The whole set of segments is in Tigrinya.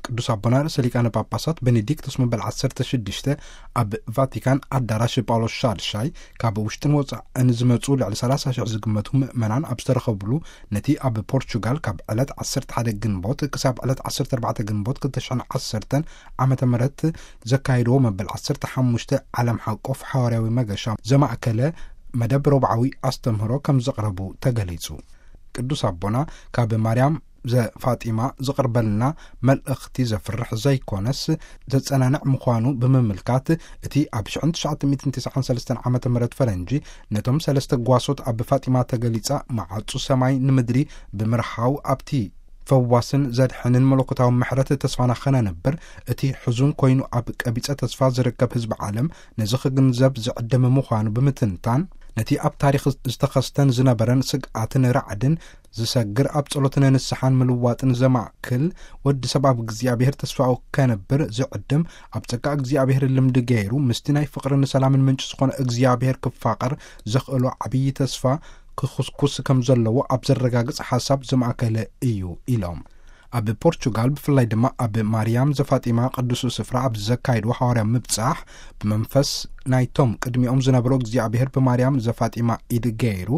ቅዱስ ኣቦና ርእሰ ሊቃነ ጳጳሳት ቤኔዲክቶስ መበል ዓሰርተ ሽዱሽተ ኣብ ቫቲካን ኣዳራሽ ጳውሎስ ሻድሻይ ካብ ውሽጥን ወጻእን ዝመጹ ልዕሊ ሰላሳ ሽሕ ዝግመቱ ምእመናን ኣብ ዝተረኸብሉ፣ ነቲ ኣብ ፖርቹጋል ካብ ዕለት ዓሰርተ ሓደ ግንቦት ክሳብ ዕለት ዓሰርተ ኣርባዕተ ግንቦት ክልተ ሽሕን ዓሰርተን ዓመተ ምህረት ዘካየድዎ መበል ዓሰርተ ሓሙሽተ ዓለም ሓቆፍ ሓዋርያዊ መገሻ ዘማእከለ መደብ ረቡዓዊ ኣስተምህሮ ከም ዘቕረቡ ተገሊጹ። ቅዱስ ኣቦና ካብ ማርያም ዘፋጢማ ዝቕርበልና መልእኽቲ ዘፍርሕ ዘይኮነስ ዘጸናንዕ ምዃኑ ብምምልካት፣ እቲ ኣብ ሽሕን ትሽዓተ ሚእትን ተስዓን ሰለስተን ዓመተ ምህረት ፈረንጂ ነቶም ሰለስተ ጓሶት ኣብ ፋጢማ ተገሊጻ መዓጹ ሰማይ ንምድሪ ብምርሓው፣ ኣብቲ ፈዋስን ዘድሕንን መለኮታዊ ምሕረት ተስፋና ኸነንብር፣ እቲ ሕዙን ኮይኑ ኣብ ቀቢጸ ተስፋ ዝርከብ ህዝቢ ዓለም ነዚ ክግንዘብ ዝዕድም ምዃኑ ብምትንታን፣ ነቲ ኣብ ታሪኽ ዝተኸስተን ዝነበረን ስግኣትን ራዕድን ዝሰግር፣ ኣብ ጸሎትን ንስሓን ምልዋጥን ዘማእክል፣ ወዲ ሰብ ኣብ እግዚኣብሔር ተስፋኡ ከንብር ዝዕድም፣ ኣብ ጸጋ እግዚኣብሔር ልምዲ ገይሩ ምስቲ ናይ ፍቕርን ሰላምን ምንጪ ዝኾነ እግዚኣብሔር ክፋቐር ዘኽእሎ ዓብዪ ተስፋ ክኹስኩስ ከም ዘለዎ ኣብ ዘረጋግጽ ሓሳብ ዝማእከለ እዩ ኢሎም። ኣብ ፖርቹጋል ብፍላይ ድማ ኣብ ማርያም ዘፋጢማ ቅዱስ ስፍራ ኣብ ዘካየድዎ ሓዋርያዊ ምብጻሕ፣ ብመንፈስ ናይቶም ቅድሚኦም ዝነበሩ እግዚኣብሔር ብማርያም ዘፋጢማ ኢድ ገይሩ፣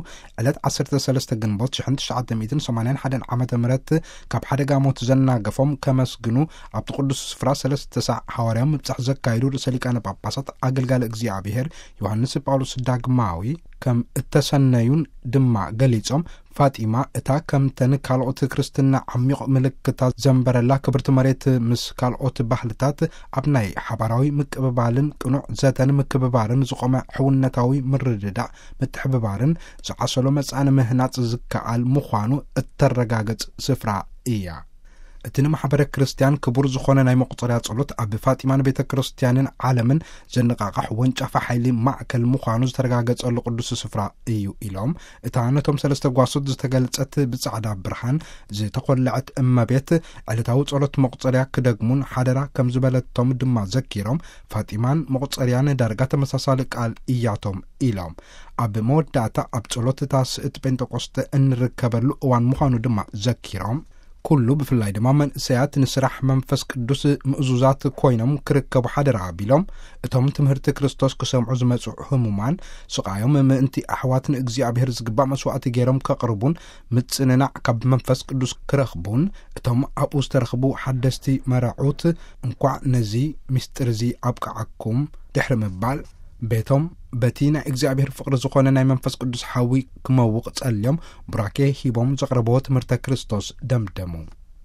ዕለት ዓሰርተ ሰለስተ ግንቦት ሽሕን ትሽዓተ ሚእትን ሰማንያን ሓደን ዓመተ ምህረት ካብ ሓደጋ ሞት ዘናገፎም ከመስግኑ ኣብቲ ቅዱስ ስፍራ ሰለስተ ሳዕ ሓዋርያዊ ምብጻሕ ዘካየዱ ርእሰ ሊቃነ ጳጳሳት ኣገልጋሊ እግዚኣብሔር ዮሃንስ ጳውሎስ ዳግማዊ ከም እተሰነዩን ድማ ገሊጾም፣ ፋጢማ እታ ከምተን ካልኦት ክርስትና ዓሚቕ ምልክታት ዘንበረላ ክብርቲ መሬት ምስ ካልኦት ባህልታት ኣብ ናይ ሓባራዊ ምቅብባልን ቅኑዕ ዘተን ምክብባርን ዝቖመ ሕውነታዊ ምርድዳእ ምትሕብባርን ዝዓሰሎ መጻኢ ምህናጽ ዝከኣል ምዃኑ እተረጋግጽ ስፍራ እያ። እቲ ንማሕበረ ክርስትያን ክቡር ዝኾነ ናይ መቁጸርያ ጸሎት ኣብ ፋጢማን ቤተ ክርስትያንን ዓለምን ዘነቃቕሕ ወንጫፋ ሓይሊ ማእከል ምዃኑ ዝተረጋገጸሉ ቅዱስ ስፍራ እዩ ኢሎም፣ እታ ነቶም ሰለስተ ጓሶት ዝተገልጸት ብጻዕዳ ብርሃን ዝተኾለዐት እመቤት ዕለታዊ ጸሎት መቁጸርያ ክደግሙን ሓደራ ከም ዝበለቶም ድማ ዘኪሮም፣ ፋጢማን መቁጸርያን ዳርጋ ተመሳሳሊ ቃል እያቶም ኢሎም፣ ኣብ መወዳእታ ኣብ ጸሎት እታ ስእቲ ጴንጠቆስጠ እንርከበሉ እዋን ምዃኑ ድማ ዘኪሮም፣ ኩሉ ብፍላይ ድማ መንእሰያት ንስራሕ መንፈስ ቅዱስ ምእዙዛት ኮይኖም ክርከቡ ሓደራ ኣቢሎም፣ እቶም ትምህርቲ ክርስቶስ ክሰምዑ ዝመጹ ህሙማን ስቓዮም ምእንቲ ኣሕዋት ንእግዚኣብሔር ዝግባእ መስዋዕቲ ገይሮም ከቕርቡን ምጽንናዕ ካብ መንፈስ ቅዱስ ክረኽቡን፣ እቶም ኣብኡ ዝተረኽቡ ሓደስቲ መራዑት እንኳዕ ነዚ ምስጢር እዚ ኣብቅዓኩም ድሕሪ ምባል፣ ቤቶም በቲ ናይ እግዚኣብሔር ፍቕሪ ዝኾነ ናይ መንፈስ ቅዱስ ሓዊ ክመውቕ ጸልዮም ቡራኬ ሂቦም ዘቕረብዎ ትምህርተ ክርስቶስ ደምደሙ።